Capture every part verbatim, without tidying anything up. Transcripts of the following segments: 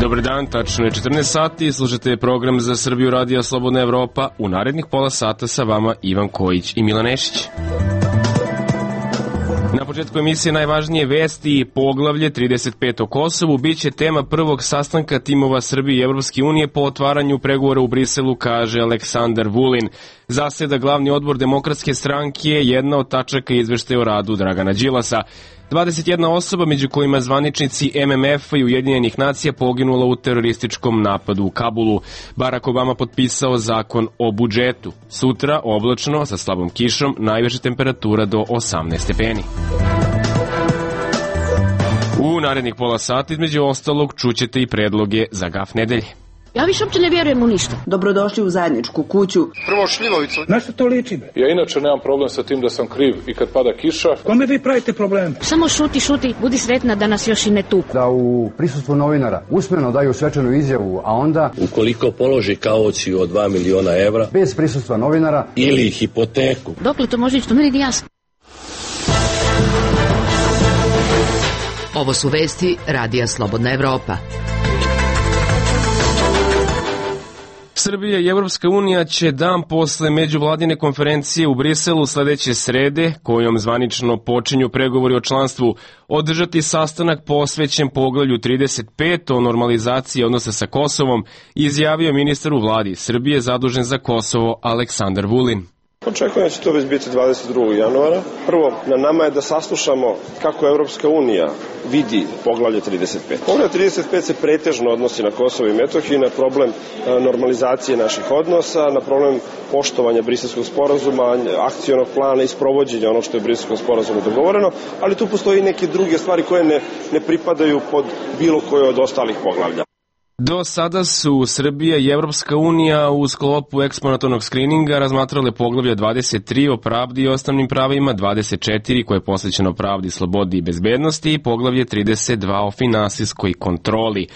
Dobar dan, tačno je četrnaest sati, slušate program za Srbiju Radija Slobodna Evropa. U narednih pola sata sa vama Ivan Kojić i Milan Nešić. Na početku emisije najvažnije vesti i poglavlje trideset pet o Kosovu biće tema prvog sastanka timova Srbije i Evropske unije po otvaranju pregovora u Briselu, kaže Aleksandar Vulin. Zaseda glavni odbor Demokratske stranke, jedna od tačaka izveštaja o radu Dragana Đilasa. dvadeset jedna osoba, među kojima zvaničnici M M F-a i Ujedinjenih nacija, poginula u terorističkom napadu u Kabulu. Barack Obama potpisao zakon o budžetu. Sutra oblačno sa slabom kišom, najviša temperatura do osamnaest stepeni. U narednih pola sata između ostalog čućete i predloge za gaf nedelje. Ja više uopće ne vjerujem u ništa. Dobrodošli u zajedničku kuću. Prvo šljivovicu. Na što to liči? Ja inače nemam problem sa tim da sam kriv i kad pada kiša. Kome vi pravite problem? Samo šuti, šuti, budi sretna da nas još i ne tuku. Da u prisustvu novinara usmeno daju svečanu izjavu, a onda... Ukoliko položi kauciju od dva miliona evra... Bez prisustva novinara... Ili hipoteku. Dokle to može ići, to meni nije jasno. Ovo su vesti Radija Slobodna Evropa. Srbija i Evropska unija će dan posle međuvladine konferencije u Briselu sledeće srede, kojom zvanično počinju pregovori o članstvu, održati sastanak posvećen poglavlju trideset pet o normalizaciji odnosa sa Kosovom, izjavio ministar u vladi Srbije zadužen za Kosovo Aleksandar Vulin. Očekujem da će to već biti dvadeset drugog januara. Prvo, na nama je da saslušamo kako Evropska unija vidi poglavlje trideset pet. Poglavlje trideset pet se pretežno odnosi na Kosovo i Metohiju, na problem normalizacije naših odnosa, na problem poštovanja Briselskog sporazuma, akcionog plana i sprovođenja onog što je u Briselskom sporazumu dogovoreno, ali tu postoji neke druge stvari koje ne, ne pripadaju pod bilo koje od ostalih poglavlja. Do sada su Srbija i Evropska unija u sklopu eksponatornog skrininga razmatrale poglavlje dvadeset tri o pravdi i osnovnim pravima, dvadeset četiri koje je posvećeno pravdi, slobodi i bezbednosti i poglavlje trideset dva o finansijskoj kontroli.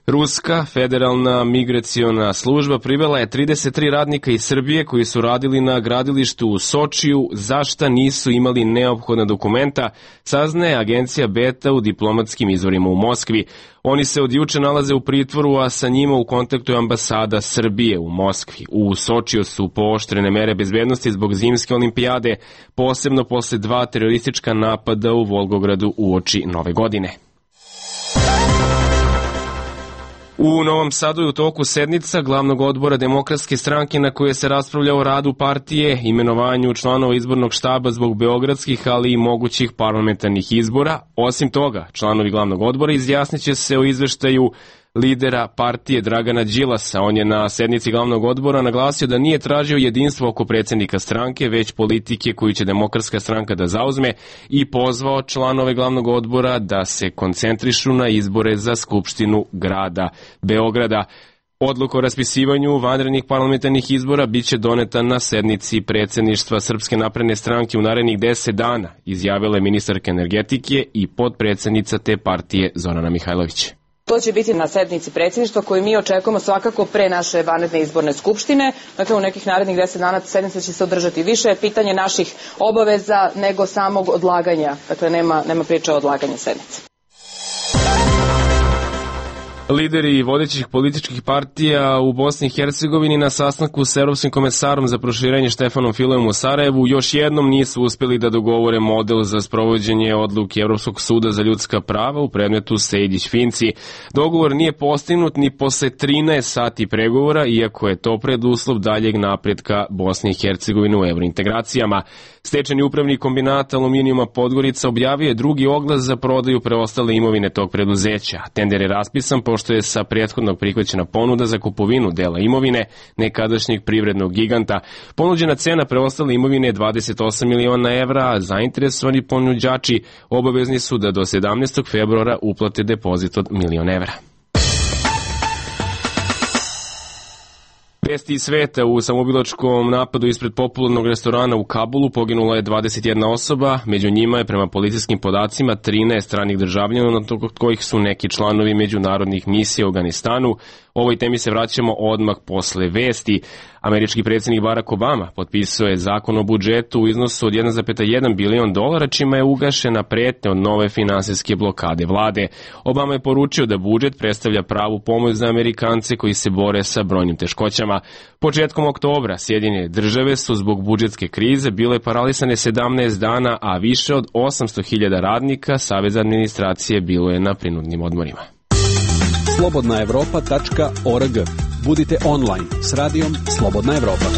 Ruska federalna migraciona služba privela je trideset tri radnika iz Srbije koji su radili na gradilištu u Sočiju, za šta nisu imali neophodna dokumenta, saznaje agencija Beta u diplomatskim izvorima u Moskvi. Oni se od juče nalaze u pritvoru, a sa njima u kontaktu je ambasada Srbije u Moskvi. U Sočiju su pooštrene mere bezbednosti zbog zimske olimpijade, posebno posle dva teroristička napada u Volgogradu uoči Nove godine. U Novom Sadu je u toku sednica glavnog odbora Demokratske stranke na kojoj se raspravlja o radu partije, imenovanju članova izbornog štaba zbog beogradskih, ali i mogućih parlamentarnih izbora. Osim toga, članovi glavnog odbora izjasniće se o izveštaju lidera partije Dragana Đilasa. On je na sednici glavnog odbora naglasio da nije tražio jedinstvo oko predsjednika stranke, već politike koju će Demokratska stranka da zauzme i pozvao članove glavnog odbora da se koncentrišu na izbore za Skupštinu grada Beograda. Odluka o raspisivanju vanrednih parlamentarnih izbora biće doneta na sednici predsjedništva Srpske napredne stranke u narednih deset dana, izjavila je ministarka energetike i potpredsjednica te partije Zorana Mihajlović. To će biti na sednici predsjedništva koju mi očekujemo svakako pre naše vanredne izborne skupštine. Dakle, u nekih narednih deset dana sednica će se održati. Više je pitanje naših obaveza nego samog odlaganja. Dakle, nema, nema priče o odlaganju sednice. Lideri vodećih političkih partija u Bosni i Hercegovini na sastanku s Evropskim komesarom za proširenje Štefanom Fileom u Sarajevu još jednom nisu uspjeli da dogovore model za sprovođenje odluke Evropskog suda za ljudska prava u predmetu Sejdić-Finci. Dogovor nije postignut ni posle trinaest sati pregovora, iako je to preduslov daljeg napretka Bosne i Hercegovine u evrointegracijama. Stečajni upravnik kombinata Aluminijuma Podgorica objavio je drugi oglas za prodaju preostale imovine tog preduzeća. Tender je raspisan pošto je sa prethodnog prihvaćena ponuda za kupovinu dela imovine nekadašnjeg privrednog giganta. Ponuđena cena preostale imovine je dvadeset osam miliona evra, a zainteresovani ponuđači obavezni su da do sedamnaestog februara uplate depozit od milion evra. Vesti iz sveta: u samoubilačkom napadu ispred popularnog restorana u Kabulu poginula je dvadeset jedna osoba, među njima je prema policijskim podacima trinaest stranih državljana, od kojih su neki članovi međunarodnih misija u Afganistanu. Ovoj temi se vraćamo odmah posle vesti. Američki predsjednik Barack Obama potpisao je zakon o budžetu u iznosu od jedan zarez jedan bilion dolara, čime je ugašena pretnja od nove finansijske blokade vlade. Obama je poručio da budžet predstavlja pravu pomoć za Amerikance koji se bore sa brojnim teškoćama. Početkom oktobra Sjedinjene države su zbog budžetske krize bile paralisane sedamnaest dana, a više od osamsto hiljada radnika Saveza administracije bilo je na prinudnim odmorima. slobodna evropa tačka org. Budite online s radijom Slobodna Evropa.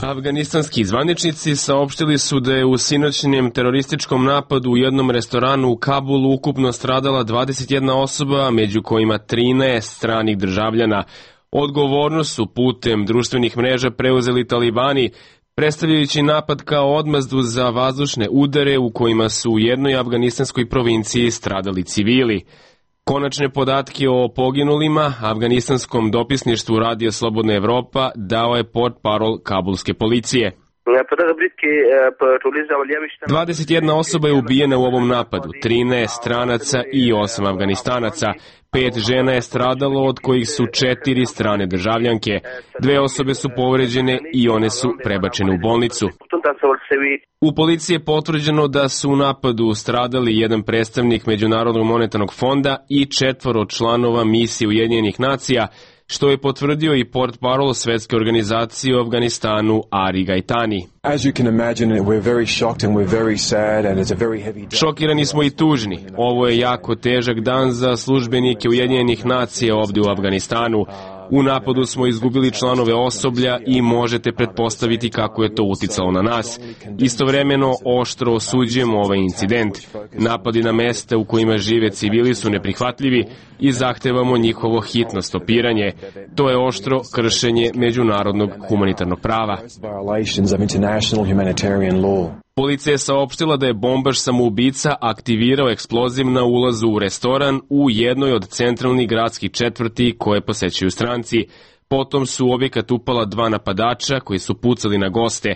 Afganistanski zvaničnici saopštili su da je u sinoćnjem terorističkom napadu u jednom restoranu u Kabulu ukupno stradala dvadeset jedna osoba, među kojima trinaest stranih državljana. Odgovornost su putem društvenih mreža preuzeli talibani, predstavljajući napad kao odmazdu za vazdušne udare u kojima su u jednoj afganistanskoj provinciji stradali civili. Konačne podatke o poginulima afganistanskom dopisništvu Radija Slobodna Evropa dao je portparol kabulske policije. dvadeset jedna osoba je ubijena u ovom napadu, trinaest stranaca i osam Afganistanaca. Pet žena je stradalo, od kojih su četiri strane državljanke. Dve osobe su povređene i one su prebačene u bolnicu. U policiji je potvrđeno da su u napadu stradali jedan predstavnik Međunarodnog monetarnog fonda i četvoro članova misije Ujedinjenih nacija, što je potvrdio i portparol Svetske organizacije u Afganistanu Ari Gaitani. Šokirani smo i tužni. Ovo je jako težak dan za službenike Ujedinjenih nacija ovdje u Afganistanu. U napadu smo izgubili članove osoblja i možete pretpostaviti kako je to uticalo na nas. Istovremeno oštro osuđujemo ovaj incident. Napadi na mesta u kojima žive civili su neprihvatljivi i zahtevamo njihovo hitno stopiranje. To je oštro kršenje međunarodnog humanitarnog prava. Policija je saopštila da je bombaš samoubica aktivirao eksploziv na ulazu u restoran u jednoj od centralnih gradskih četvrti koje posećuju stranci. Potom su u objekat upala dva napadača koji su pucali na goste.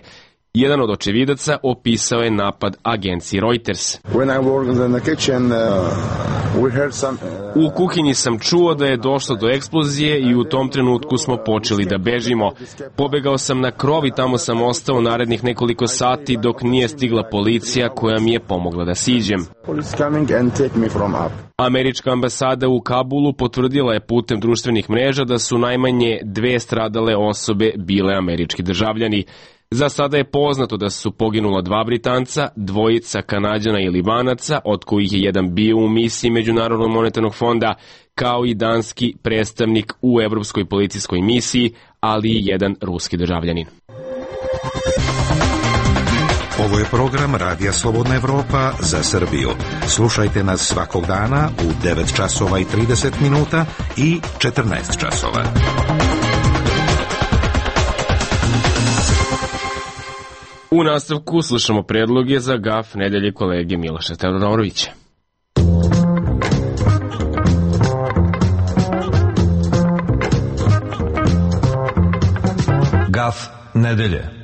Jedan od očevidaca opisao je napad agenciji Reuters. U kuhinji sam čuo da je došlo do eksplozije i u tom trenutku smo počeli da bežimo. Pobegao sam na krov i tamo sam ostao narednih nekoliko sati dok nije stigla policija koja mi je pomogla da siđem. Američka ambasada u Kabulu potvrdila je putem društvenih mreža da su najmanje dve stradale osobe bile američki državljani. Za sada je poznato da su poginula dva Britanca, dvojica Kanađana i Libanaca, od kojih je jedan bio u misiji Međunarodnog monetarnog fonda, kao i danski predstavnik u Evropskoj policijskoj misiji, ali i jedan ruski državljanin. Ovo je program Radija Slobodna Evropa za Srbiju. Slušajte nas svakog dana u devet časova i trideset minuta i četrnaest časova. U nastavku slušamo predloge za gaf nedelje kolege Miloša Teodorovića. Gaf nedelje.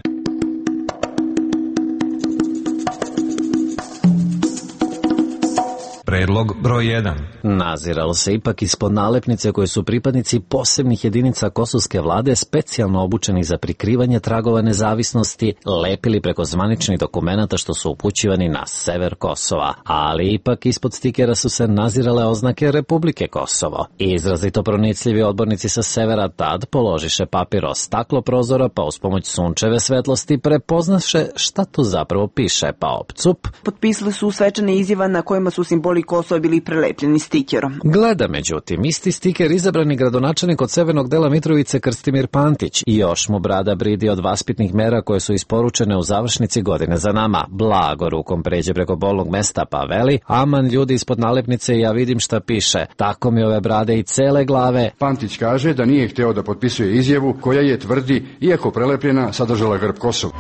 Predlog broj jedan. Naziralo se ipak ispod nalepnice koje su pripadnici posebnih jedinica kosovske vlade specijalno obučeni za prikrivanje tragova nezavisnosti lepili preko zvaničnih dokumenata što su upućivani na sever Kosova, ali ipak ispod stikera su se nazirale oznake Republike Kosovo. Izrazito pronicljivi odbornici sa severa tad položiše papir o staklo prozora pa uz pomoć sunčeve svetlosti prepoznaše šta tu zapravo piše, pa opcup. Potpisali su svečane izjava na kojima su simboli Kosova bili prelepljeni stikerom. Gleda, međutim, isti stiker izabrani gradonačelnik od severnog dela Mitrovice Krstimir Pantić i još mu brada bridi od vaspitnih mera koje su isporučene u završnici godine za nama. Blago rukom pređe preko bolnog mesta pa veli, aman ljudi ispod nalepnice ja vidim šta piše. Tako mi ove brade i cele glave. Pantić kaže da nije hteo da potpisuje izjavu koja je, tvrdi, iako prelepljena, sadržala grb Kosova.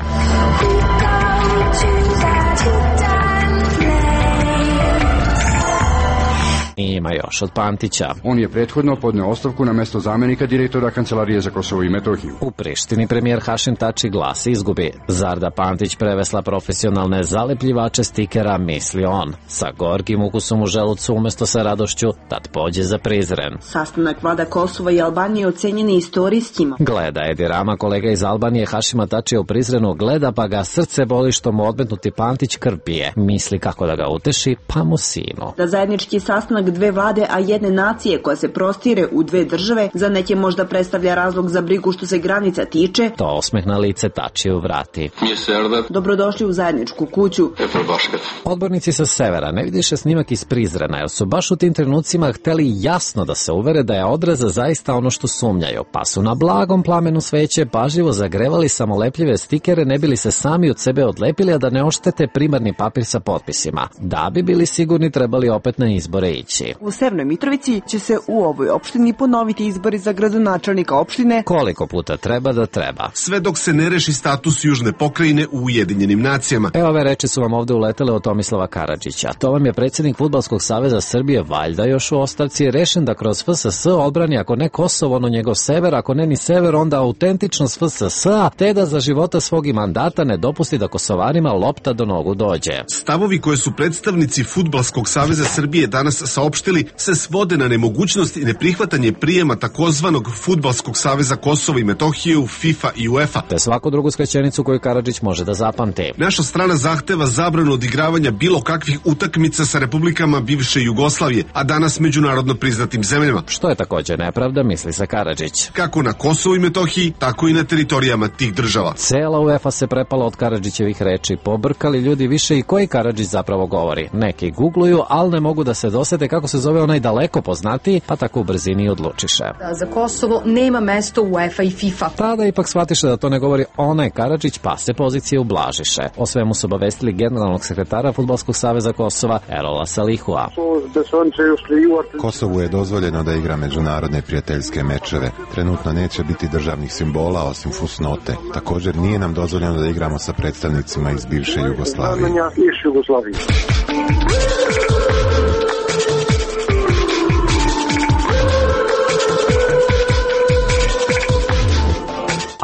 ima još od Pantića. On je prethodno podneo ostavku na mesto zamenika direktora Kancelarije za Kosovo i Metohiju. U Prištini premijer Hašim Tači glas izgubi. Zar da Pantić prevesla profesionalne zalepljivače stikera, misli on. Sa gorkim ukusom u želucu umesto sa radošću, tad pođe za Prizren. Sastanak vlada Kosova i Albanije ocenjen je istorijskim. Gleda Edi Rama, kolega iz Albanije Hašima Tačija u Prizrenu, gleda pa ga srce boli što mu odmetnuti Pantić krv pije. Misli kako da ga uteši, pa mu sinu. Da zajednički sastanak dve vlade, a jedne nacije koja se prostire u dve države, za neke možda predstavlja razlog za brigu što se granica tiče. To osmeh na lice Tačiju vrati. Dobrodošli u zajedničku kuću. Odbornici sa severa ne vidiše snimak iz Prizrena, jer su baš u tim trenucima hteli jasno da se uvere da je odreza zaista ono što sumnjaju, pa su na blagom plamenu sveće pažljivo zagrevali samolepljive stikere, ne bili se sami od sebe odlepili, a da ne oštete primarni papir sa potpisima. Da bi bili sigurni, trebali opet na izbore ići. U Severnoj Mitrovici će se u ovoj opštini ponoviti izbori za gradonačelnika opštine. Koliko puta treba da treba. Sve dok se ne reši status južne pokrajine u Ujedinjenim nacijama. E, ove reči su vam ovde uletele od Tomislava Karadžića. To vam je predsjednik Fudbalskog saveza Srbije, valjda još u ostavci, rešen da kroz F S S odbrani ako ne Kosovo, ono njegov sever, ako ne ni sever, onda autentičnost F S S-a, te da za života svog i mandata ne dopusti da Kosovarima lopta do nogu dođe. Stavovi koje su predstavnici Fudbalskog saveza Srbije danas saopštili se svode na nemogućnost i neprihvatanje prijema takozvanog Fudbalskog saveza Kosova i Metohije u FIFA i UEFA. Te svaku drugu skraćenicu koju Karadžić može da zapamti. Naša strana zahteva zabranu odigravanja bilo kakvih utakmica sa republikama bivše Jugoslavije, a danas međunarodno priznatim zemljama. Što je također nepravda, misli se Karadžić. Kako na Kosovu i Metohiji, tako i na teritorijama tih država. Cela UEFA se prepala od Karadžićevih reči. Pobrkali ljudi više i koji Karadžić zapravo govori. Neki googluju, ali ne mogu da se dosete kako se zove onaj daleko poznatiji, pa tako u brzini odlučiše. Da za Kosovo nema mesto u UEFA i FIFA. Tada ipak shvatiše da to ne govori onaj Karadžić, pa se pozicije ublažiše. O svemu su obavestili generalnog sekretara Fudbalskog saveza Kosova, Erola Salihua. Kosovu je dozvoljeno da igra međunarodne prijateljske mečeve. Trenutno neće biti državnih simbola osim fusnote. Također nije nam dozvoljeno da igramo sa predstavnicima iz bivše Jugoslavije.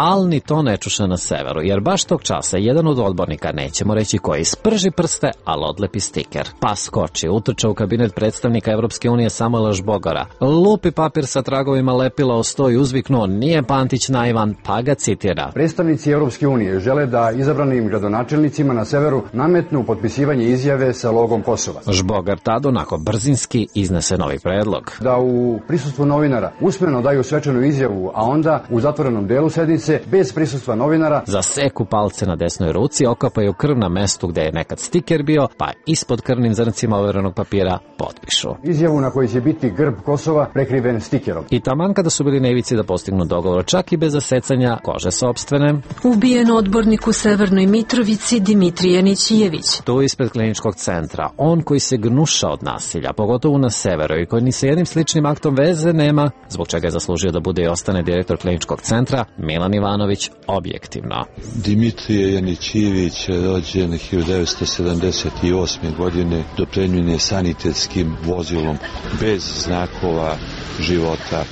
Ali ni to ne čuše na severu, jer baš tog časa jedan od odbornika, nećemo reći koji, sprži prste, ali odlepi stiker. Pa skoči, utrča u kabinet predstavnika Evropske unije Samuela Žbogara, lupi papir sa tragovima lepila o sto i uzviknuo, nije Pantić naivan, pa ga citira. Predstavnici Evropske unije žele da izabranim gradonačelnicima na severu nametnu potpisivanje izjave sa logom Kosova. Žbogar tad onako brzinski iznese novi predlog. Da u prisustvu novinara usmeno daju svečanu izjavu, a onda u zatvorenom delu sednice bez prisustva novinara zaseku palce na desnoj ruci, okapaju krv na mestu gde je nekad stiker bio, pa ispod krvnim zrncima overenog papira potpišu izjavu na kojoj će biti grb Kosova prekriven stikerom. I taman kada su bili na ivici da postignu dogovor, čak i bez zasecanja kože sopstvene, ubijen odbornik u Severnoj Mitrovici Dimitrije Nićijević. Tu ispred kliničkog centra, on koji se gnuša od nasilja, pogotovo na severu, i koji ni sa jednim sličnim aktom veze nema, zbog čega je zaslužio da bude i ostane direktor kliničkog centra, Milan Ivanović, objektivno. Dimitrije Janićijević je rođen hiljadu devetsto sedamdeset osme. godine, dopremljen je sanitetskim vozilom bez znakova života.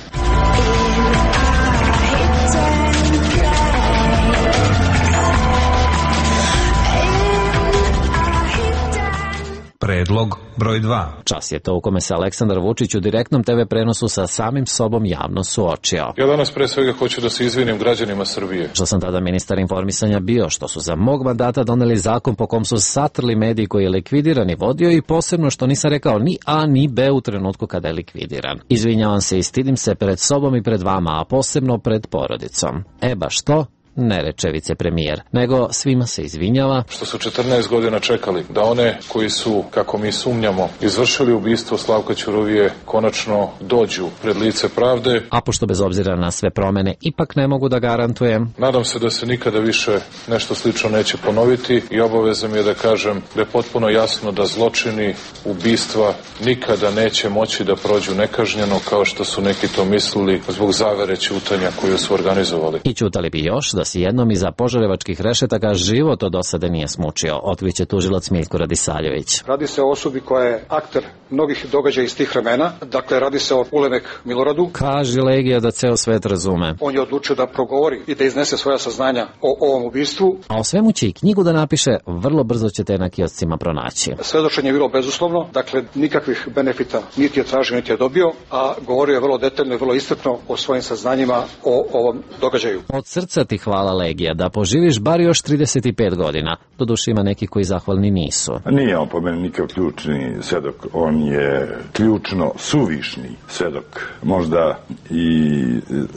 Predlog broj dva. Čas je to u kome se Aleksandar Vučić u direktnom te ve prenosu sa samim sobom javno suočio. Ja danas pre svega hoću da se izvinim građanima Srbije. Što sam tada ministar informisanja bio, što su za mog mandata doneli zakon po kom su satrli mediji koji je likvidiran i vodio, i posebno što nisam rekao ni A ni B u trenutku kada je likvidiran. Izvinjavam se i stidim se pred sobom i pred vama, a posebno pred porodicom. E baš to ne reče vicepremijer, nego svima se izvinjava što su četrnaest godina čekali da one koji su, kako mi sumnjamo, izvršili ubistvo Slavka Ćuruvije konačno dođu pred lice pravde. A pošto bez obzira na sve promene ipak ne mogu da garantujem, nadam se da se nikada više nešto slično neće ponoviti i obaveza mi je da kažem da je potpuno jasno da zločini, ubistva nikada neće moći da prođu nekažnjeno kao što su neki to mislili zbog zavere ćutanja koju su organizovali. I ćutali bi još da vas jednom iza požarevačkih rešetaka život od osade nije smučio, otkriće tužilac Miljko Radisaljević. Radi se o osobi koja je akter mnogih događaja iz tih vremena, dakle radi se o Ulemek Miloradu. Kaže Legija da ceo svet razume. On je odlučio da progovori i da iznese svoja saznanja o ovom ubistvu. A o svemu će i knjigu da napiše, vrlo brzo ćete na kioscima pronaći. Svedočenje je bilo bezuslovno, dakle nikakvih benefita niti je tražio, niti je dobio, a govorio je vrlo detaljno i vrlo iscrpno o svojim saznanjima o ovom događaju. Od srca ti hvala Legija, da poživiš bar još trideset pet godina. Doduše ima neki koji zahvalni nisu. Nije on po meni nikakav ključni svedok, on je ključno suvišni svedok. Možda i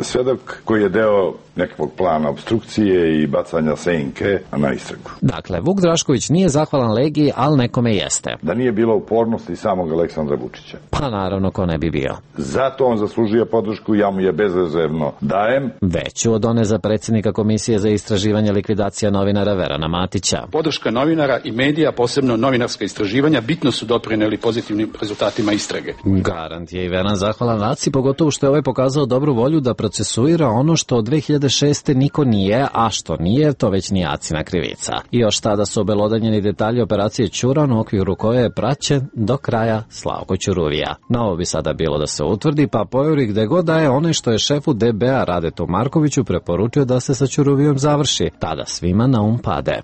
svedok koji je deo nekakvog plana obstrukcije i bacanja senke na istragu. Dakle, Vuk Drašković nije zahvalan Legiji, ali nekome jeste. Da nije bilo upornosti samog Aleksandra Vučića. Pa naravno, ko ne bi bio. Zato on zaslužuje podršku, ja mu je bezrezervno dajem. Veću od one za predsjednika Komisije za istraživanje likvidacija novinara Verana Matića. Podrška novinara i medija, posebno novinarska istraživanja, bitno su doprineli pozitivnim rezultatima istrage. Garant je i Veran zahvalan Aci, pogotovo što je ovaj pokazao dobru volju da procesuira ono što od dve hiljade šeste niko nije, a što nije, to već nije Acina krivica. I još tada su obelodanjeni detalji operacije Ćuran, u okviru koje je praćen do kraja Slavko Ćuruvija. Na ovo bi sada bilo da se utvrdi, pa pojuri gde god da je onaj što je šefu D B A Radetu Markoviću preporučio da se sa Ćuruvijom završi. Tada svima na um pade.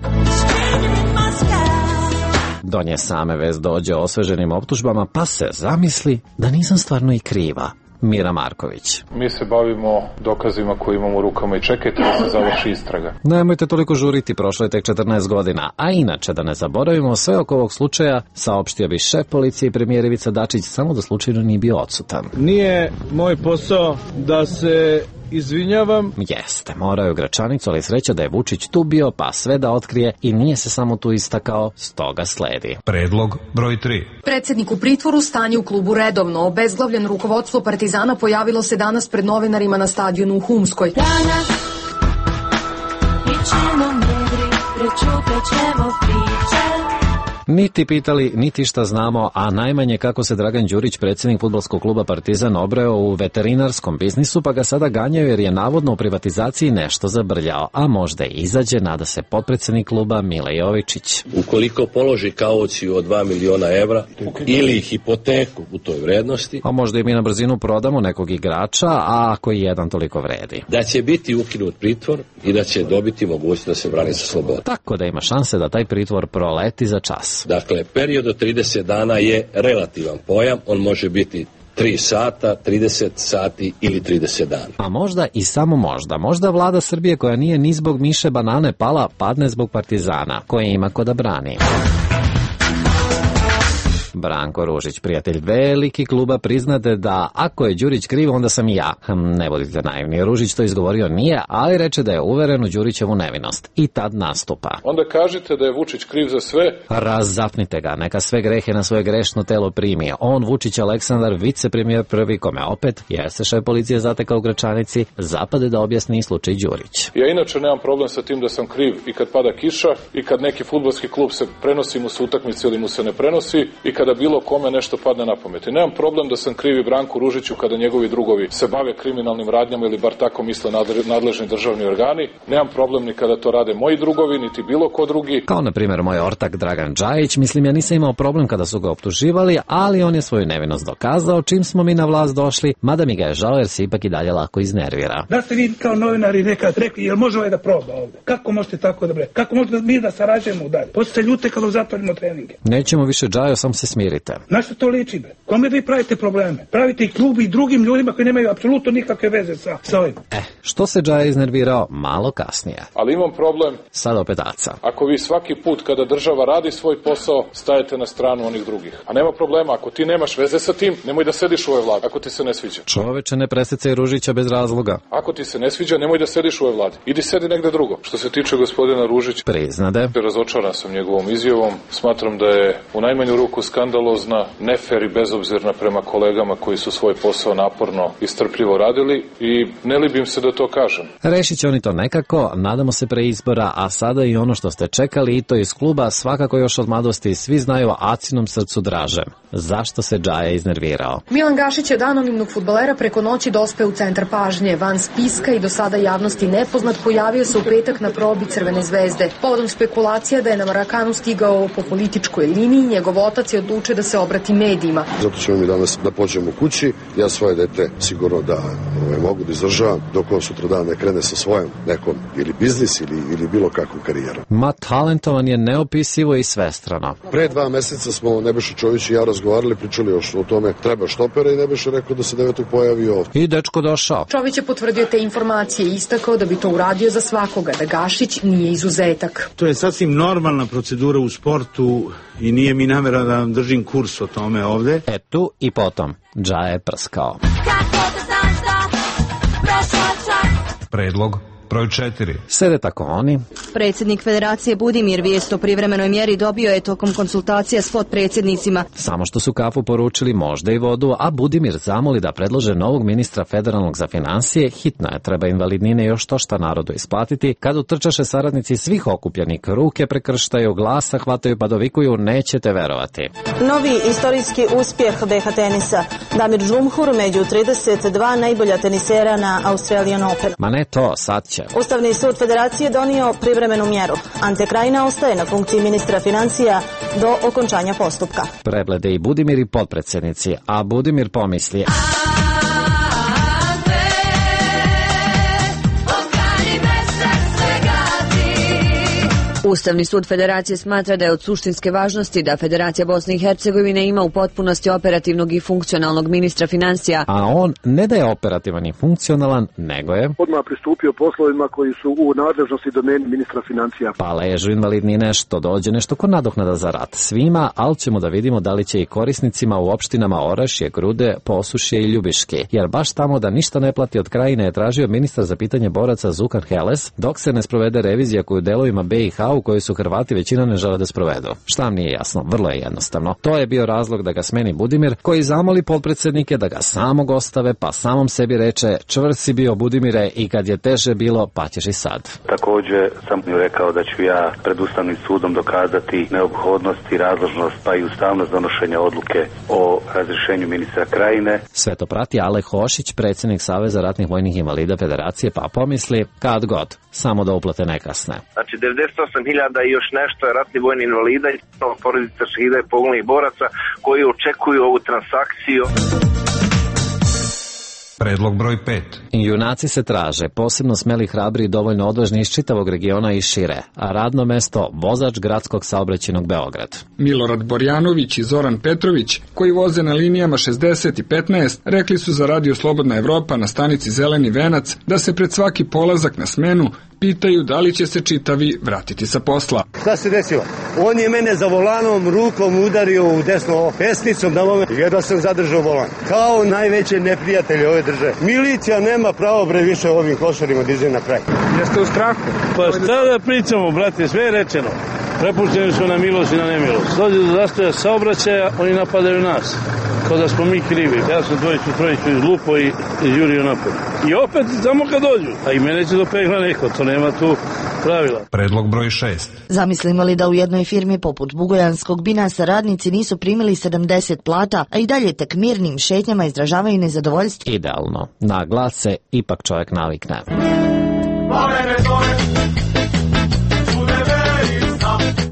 Do nje same vez dođe osveženim optužbama, pa se zamisli da nisam stvarno i kriva. Mira Marković. Mi se bavimo dokazima koje imamo u rukama i čekajte da se završi istraga. Nemojte toliko žuriti, prošlo je tek četrnaest godina. A inače, da ne zaboravimo sve oko ovog slučaja, saopštio bi šef policije i premijer Ivica Dačić, samo da slučajno nije bio odsutan. Nije moj posao da se izvinjavam. Jeste, morao je u Gračanicu, ali sreća da je Vučić tu bio, pa sve da otkrije i nije se samo tu istakao, stoga sledi. Predlog broj tri. Predsjednik u pritvoru, stanje u klubu redovno. Obezglavljen rukovodstvo Partizana pojavilo se danas pred novinarima na stadionu u Humskoj. Danas mi ćemo medri, prečutat ćemo priče. Niti pitali, niti šta znamo, a najmanje kako se Dragan Đurić, predsjednik fudbalskog kluba Partizan, obreo u veterinarskom biznisu, pa ga sada ganjaju jer je navodno u privatizaciji nešto zabrljao, a možda i izađe, nada se potpredsjednik kluba Mile Jovičić. Ukoliko položi kauciju od dva miliona evra ili hipoteku u toj vrednosti, a možda i mi na brzinu prodamo nekog igrača, a ako i jedan toliko vredi, da će biti ukinut pritvor i da će dobiti mogućnost da se brani sa slobodom. Tako da ima šanse da taj pritvor proleti za čas. Dakle, period od trideset dana je relativan pojam, on može biti tri sata, trideset sati ili trideset dana. A možda i samo možda, možda vlada Srbije koja nije ni zbog miše banane pala, padne zbog Partizana, koje ima ko da brani. Branko Ružić, prijatelj veliki kluba, priznade da ako je Đurić kriv, onda sam i ja. Hm, ne budite naivni, Ružić to izgovorio nije, ali reče da je uveren u Đurićevu nevinost. I tad nastupa. Onda kažite da je Vučić kriv za sve. Razapnite ga, neka sve grehe na svoje grešno telo primi. On, Vučić Aleksandar, vicepremijer prvi, kome opet, jer se šef policije zatekao u Gračanici, zapade da objasni slučaj Đurić. Ja inače nemam problem sa tim da sam kriv i kad pada kiša, i kad neki fudbalski klub se prenosi mu se utakmice ili mu se ne prenosi, i kada bilo kome nešto padne na pamet. I nemam problem da sam krivi Branku Ružiću kada njegovi drugovi se bave kriminalnim radnjama ili bar tako misle nadležni državni organi. Nemam problem ni kada to rade moji drugovi, niti bilo ko drugi. Kao na primjer moj ortak Dragan Džajić, mislim ja nisam imao problem kada su ga optuživali, ali on je svoju nevinost dokazao čim smo mi na vlast došli, mada mi ga je žao jer se ipak i dalje lako iznervira. Da ste vi kao novinari nekad rekli, jel može ovaj da proba ovdje? Kako možete tako da bre? Kako možete mi da sarađujemo dalje? Poslije se ljute kada zatvorimo treninge. Nećemo više Džajo, sam se smirite. Na što to liči, bre? Kome vi pravite probleme? Pravite i klubi i drugim ljudima koji nemaju apsolutno nikakve veze sa, sa ovim. Eh, što se Džaja iznervirao malo kasnije. Ali imam problem. Sad opet Aca. Ako vi svaki put kada država radi svoj posao, stajete na stranu onih drugih. A nema problema, ako ti nemaš veze sa tim, nemoj da sediš u ovoj vladi, ako ti se ne sviđa. Čoveče, ne presecaj Ružića bez razloga. Ako ti se ne sviđa, nemoj da sediš u ovoj vladi. Idi sedi negde drugo. Što se tiče gospodina Ružića, priznade. Razočaran sam njegovom izjavom. Smatram da je u najmanju ruku skandalozna, nefer i bezobrazna bezobzirna prema kolegama koji su svoj posao naporno i strpljivo radili i ne libim se da to kažem. Rešit će oni to nekako, nadamo se pre izbora, a sada i ono što ste čekali i to iz kluba svakako još od mladosti svi znaju Acinom srcu draže. Zašto se Džaja iznervirao? Milan Gašić je od anonimnog fudbalera preko noći dospeo u centar pažnje. Van spiska i do sada javnosti nepoznat pojavio se u petak na probi Crvene zvezde. Povodom spekulacija da je na Marakanu stigao po političkoj liniji, njegov otac je odlučio da se obrati medijima. Zato ćemo mi danas da pođemo kući. Ja svoje dete sigurno da ove, mogu da izdržavam dok on sutra dan ne krene sa svojom nekom ili biznis ili, ili bilo kakvom karijerom. Ma talentovan je neopisivo i svestrano. Pre dva meseca smo Nebojša Čović i ja razgovarali, pričali još o tome treba štopera i Nebojša rekao da se devetog pojavio ovdje. I dečko došao. Čović je potvrdio te informacije i istakao da bi to uradio za svakoga, da Gašić nije izuzetak. To je sasvim normalna procedura u sportu i nije mi namera da vam držim kurs o tome ovde. E tu i potom, Džaja je prskao. Predlog broj četiri. Sede tako oni. Predsjednik Federacije Budimir vijest o privremenoj mjeri dobio je tokom konsultacija s potpredsjednicima. Samo što su kafu poručili, možda i vodu, a Budimir zamoli da predlože novog ministra federalnog za financije. Hitno je, treba invalidnine još to šta narodu isplatiti. Kad utrčaše saradnici svih okupljenih, ruke prekrštaju, glasa hvataju pa dovikuju, nećete verovati. Novi istorijski uspjeh be ha tenisa. Damir Džumhur među trideset dva najbolja tenisera na Australian Open. Ma ne to, sad će. Ustavni sud Federacije donio privremenu mjeru. Ante Krajina ostaje na funkciji ministra financija do okončanja postupka. Preblede i Budimir i potpredsjednici, a Budimir pomisli... Ustavni sud Federacije smatra da je od suštinske važnosti da Federacija Bosne i Hercegovine ima u potpunosti operativnog i funkcionalnog ministra financija. A on ne da je operativan i funkcionalan, nego je odmah pristupio poslovima koji su u nadležnosti domeni ministra financija. Pa ležu invalidnine, što dođe nešto ko nadoknada za rat svima, ali ćemo da vidimo da li će i korisnicima u opštinama Orašje, Grude, Posušje i Ljubiške. Jer baš tamo da ništa ne plati od Krajine je tražio ministar za pitanje boraca Zukan Heles, dok se ne sprovede revizija koju delovima be i ha u koju su Hrvati većina ne žele da sprovedu. Šta vam nije jasno? Vrlo je jednostavno. To je bio razlog da ga smeni Budimir, koji zamoli potpredsjednike da ga samog ostave, pa samom sebi reče: čvrst si bio Budimire i kad je teže bilo, pa ćeš i sad. Također sam mu rekao da ću ja pred Ustavnim sudom dokazati neophodnost i razložnost pa i ustavnost donošenja odluke o razrješenju ministra Krajine. Sve to prati Ale Hošić, predsjednik Saveza ratnih vojnih invalida Federacije, pa pomisli kad god, samo da uplate ne kasne. Znači devedeset osam hiljada i još nešto je ratni vojni invalida i porodica šehida i poginulih boraca koji očekuju ovu transakciju. Predlog broj pet. Junaci se traže, posebno smeli, hrabri i dovoljno odvažni iz čitavog regiona i šire, a radno mesto vozač gradskog saobraćajnog Beograd. Milorad Borjanović i Zoran Petrović, koji voze na linijama šezdeset i petnaest, rekli su za Radio Slobodna Evropa na stanici Zeleni venac da se pred svaki polazak na smenu pitaju da li će se čitavi vratiti sa posla. Šta se desilo? On je mene za volanom rukom udario u desno pesnicom na moment. Jedva sam zadržao volan. Kao najveće neprijatelje ove države. Milicija nema pravo bre više ovim košarima da izađe na kraj. Jeste u strahu? Pa šta da pričamo, brate, sve je rečeno. Prepušteni su na milost i na nemilost. Dođe do zastoja saobraćaja, oni napadaju nas. Kao da smo mi krivi. Ja sam dvojicu, trojicu izlupo i izjurio napad. I opet samo kad dođu. A i mene će dopegla neko, to nema tu pravila. Predlog broj šest. Zamislimo li da u jednoj firmi poput Bugojanskog Binasa radnici nisu primili sedamdeset plata, a i dalje tek mirnim šetnjama izražavaju nezadovoljstvo? Idealno. Na glas se ipak čovjek navikne.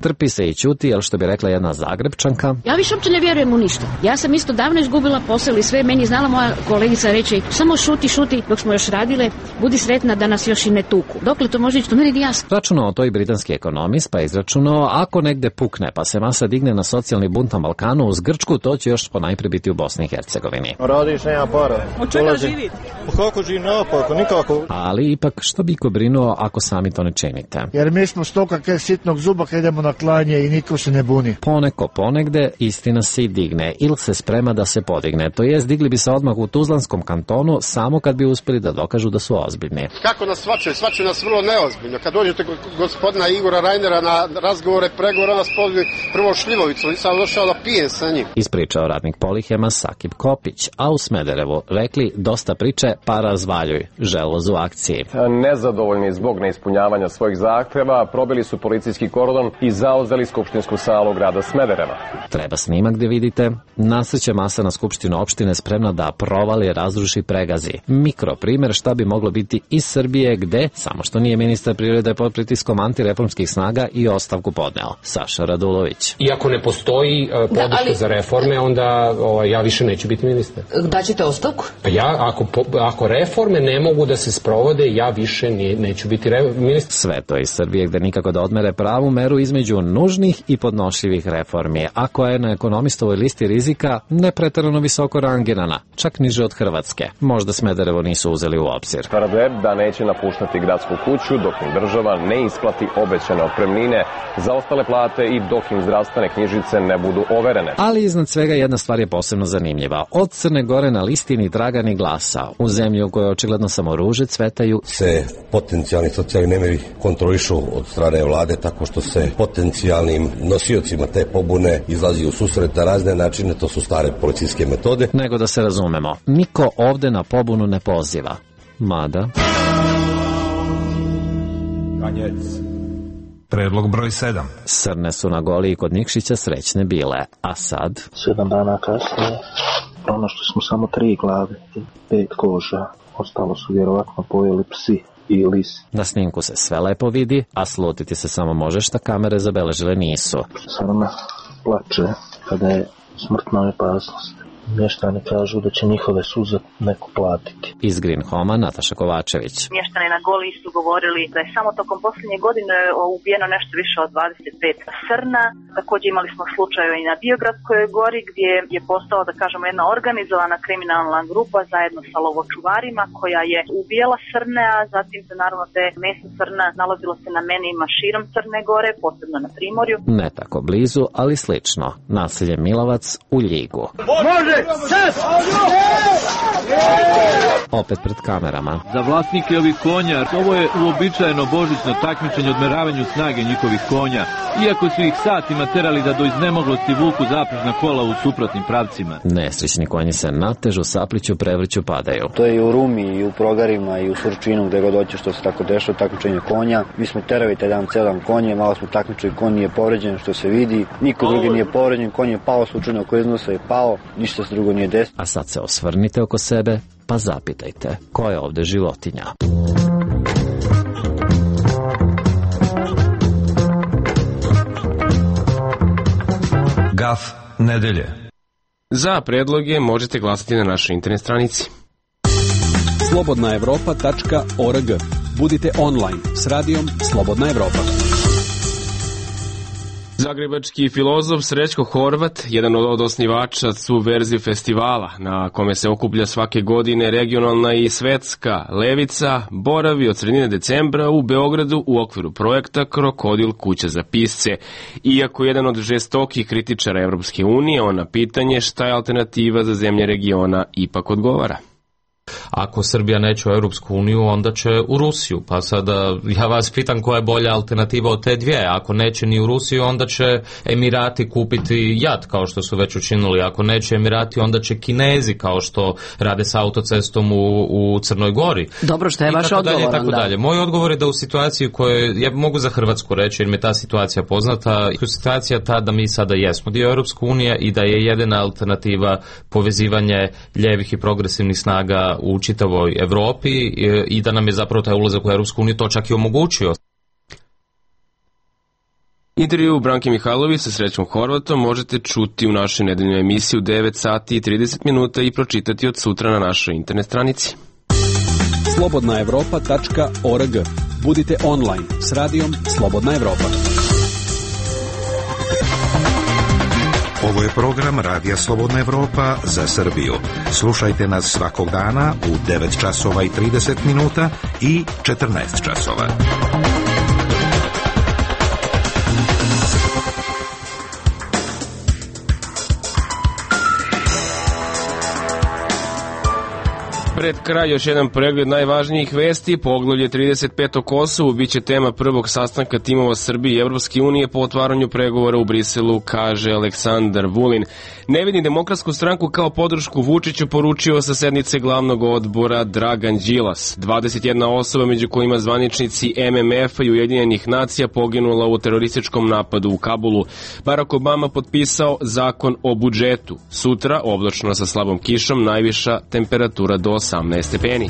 Trpi se i ćuti, jel što bi rekla jedna Zagrebčanka. Ja više uopće ne vjerujem u ništa. Ja sam isto davno izgubila posao ili sve. Meni je znala moja kolegica reći samo šuti, šuti dok smo još radile. Budi sretna da nas još i ne tuku. Dokle to može ići, to meni je jasno. Računao to i britanski ekonomist, pa izračunao ako negde pukne pa se masa digne na socijalni bunt na Balkanu uz Grčku, to će još ponajprije biti u Bosni i Hercegovini. Radiš, nema para. Od čega živi? Kako živi napako, nikako. Ali ipak što bi ko brinuo ako sami to ne činite? Jer mi smo stoka ke sitnog zuba kad idemo na klanje i niko se ne buni. Poneko ponegde istina se i digne ili se sprema da se podigne. To jest, digli bi se odmah u Tuzlanskom kantonu samo kad bi uspeli da dokažu da su ozbiljni. Kako nas svačaju? Svačaju nas vrlo neozbiljno. Kad dođete gospodina Igora Rajnera na razgovore, pregovore, nas pozvi prvo šljivovicu. Nisam došao da pijem sa njim. Ispričao radnik Polihema Sakib Kopić, a u Smederevu rekli dosta priče, pa razvaljuj, želoz u akciji. Nezadovoljni zbog neispunjavanja svojih zahteva, probili su policijski kordon i zauzeli skupštinsku salu grada Smedereva. Treba snimak gde vidite, nasreće masa na skupštinu opštine spremna da provali, razruši, pregazi. Mikro primer šta bi moglo biti iz Srbije gde, samo što nije ministar prirode pod pritiskom antireformskih snaga i ostavku podneo. Saša Radulović. Iako ne postoji uh, podrška da, ali... za reforme, onda o, ja više neću biti ministar. Daćete ostavku? Pa ja, ako, po, ako reforme ne mogu da se sprovode, ja više ne, neću biti re, ministar. Sve to iz Srbije gde nikako da odmere pravu meru između nužnih i podnošljivih reformi, a koja je na ekonomistovoj listi rizika nepreterano visoko rangirana, čak niže od Hrvatske. Možda Smederevo nisu uzeli u obzir. Tvrde da neće napuštati gradsku kuću dok im država ne isplati obećane otpremnine za ostale plate i dok im zdravstvene knjižice ne budu overene. Ali iznad svega jedna stvar je posebno zanimljiva. Od Crne Gore na listi ni traga ni glasa. U zemlji u kojoj očigledno samo ruže cvetaju se potencijalni socijalni nemiri kontrolišu od strane vlade tako što se potencijalnim nosiocima te pobune izlazi u susret na razne načine, to su stare policijske metode. Nego da se razumemo, niko ovde na pobunu ne poziva. Mada... Kanjec. Predlog broj sedam. Srne su na Goli i kod Nikšića srećne bile, a sad... Sedam dana kasnije pronašli smo samo tri glave i pet koža. Ostalo su vjerovatno pojeli psi i lisi. Na snimku se sve lepo vidi, a slutiti se samo može šta kamere zabeležile nisu. Srna plače kada je smrtna opasnost. Mještani kažu da će njihove suze neko platiti. Iz Green Homa Nataša Kovačević. Mještani na Goli su govorili da je samo tokom posljednje godine ubijeno nešto više od dvadeset pet srna. Također imali smo slučajeve i na Biogradskoj gori gdje je postala, da kažemo, jedna organizovana kriminalna grupa zajedno sa lovočuvarima koja je ubijala srne, a zatim se naravno te meso srna nalazilo se na menijima širom Crne Gore, posebno na Primorju. Ne tako blizu, ali slično. Naselje Milovac u Ljigu. Može! Opet pred kamerama. Za vlasnike ovih konja, ovo je uobičajeno božićno takmičenje odmeravanju snage njihovih konja, iako su ih satima terali da do iznemoglosti vuku zaprežna kola u suprotnim pravcima. Nesrećni konji se natežu, sapliću, prevrću, padaju. To je i u Rumi, i u Progarima, i u Surčinu, gde god hoće što se tako dešava, takmičenje konja. Mi smo terali taj dan celan konje, malo smo takmičili, konj nije povređen, što se vidi, niko drugi nije povređen, konj je pao, slučajno oko iznosa je pao, ništa se drugo nije desilo. A sad se osvrnite oko sebe, pa zapitajte, ko je ovde životinja? Gaf nedelje. Za predloge možete glasati na našoj internet stranici. slobodna evropa tačka org. Budite online s radijom Slobodna Evropa. Zagrebački filozof Srećko Horvat, jedan od osnivača Subverzije festivala, na kome se okuplja svake godine regionalna i svetska levica, boravi od sredine decembra u Beogradu u okviru projekta Krokodil kuća za pisce. Iako jedan od žestokih kritičara Evropske unije, on na pitanje šta je alternativa za zemlje regiona ipak odgovara. Ako Srbija neće u Europsku uniju, onda će u Rusiju. Pa sada ja vas pitam koja je bolja alternativa od te dvije. Ako neće ni u Rusiju, onda će Emirati kupiti jat, kao što su već učinili. Ako neće Emirati, onda će Kinezi, kao što rade sa autocestom u, u Crnoj Gori. Dobro, što je vaš odgovor? I tako dalje. Moj odgovor je da u situaciji koje, ja mogu za Hrvatsku reći, jer mi je ta situacija poznata, situacija ta da mi sada jesmo dio Europske unije i da je jedina alternativa povezivanje ljevih i progresivnih snaga u čitavoj Evropi i da nam je zapravo taj ulazak u Europsku uniju to čak i omogućio. Intervju Branke Mihajlović sa Srećom Horvatom možete čuti u našoj nedeljnoj emisiji u devet sati i trideset minuta i pročitati od sutra na našoj internet stranici. slobodna evropa tačka org. Budite online s radijom Slobodna Evropa. Ovo je program Radija Slobodna Evropa za Srbiju. Slušajte nas svakog dana u devet časova i trideset minuta i četrnaest časova. Pred kraj još jedan pregled najvažnijih vesti. Poglavlje trideset pet o Kosovu biće tema prvog sastanka timova Srbije i Evropske unije po otvaranju pregovora u Briselu, kaže Aleksandar Vulin. Ne vidi Demokratsku stranku kao podršku Vučiću, poručio sa sednice glavnog odbora Dragan Đilas. dvadeset jedna osoba, među kojima zvaničnici M M F-a i Ujedinjenih nacija, poginula u terorističkom napadu u Kabulu. Barack Obama potpisao zakon o budžetu. Sutra oblačno sa slabom kišom, najviša temperatura do osamnaest stepeni.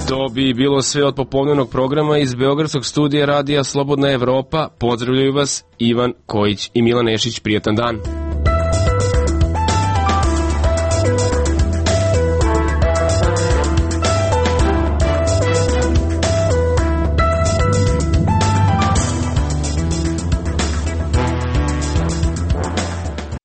To bi bilo sve od popodnevnog programa iz Beogradskog studija radija Slobodna Evropa. Pozdravljaju vas Ivan Kojić i Milan Nešić. Prijatan dan.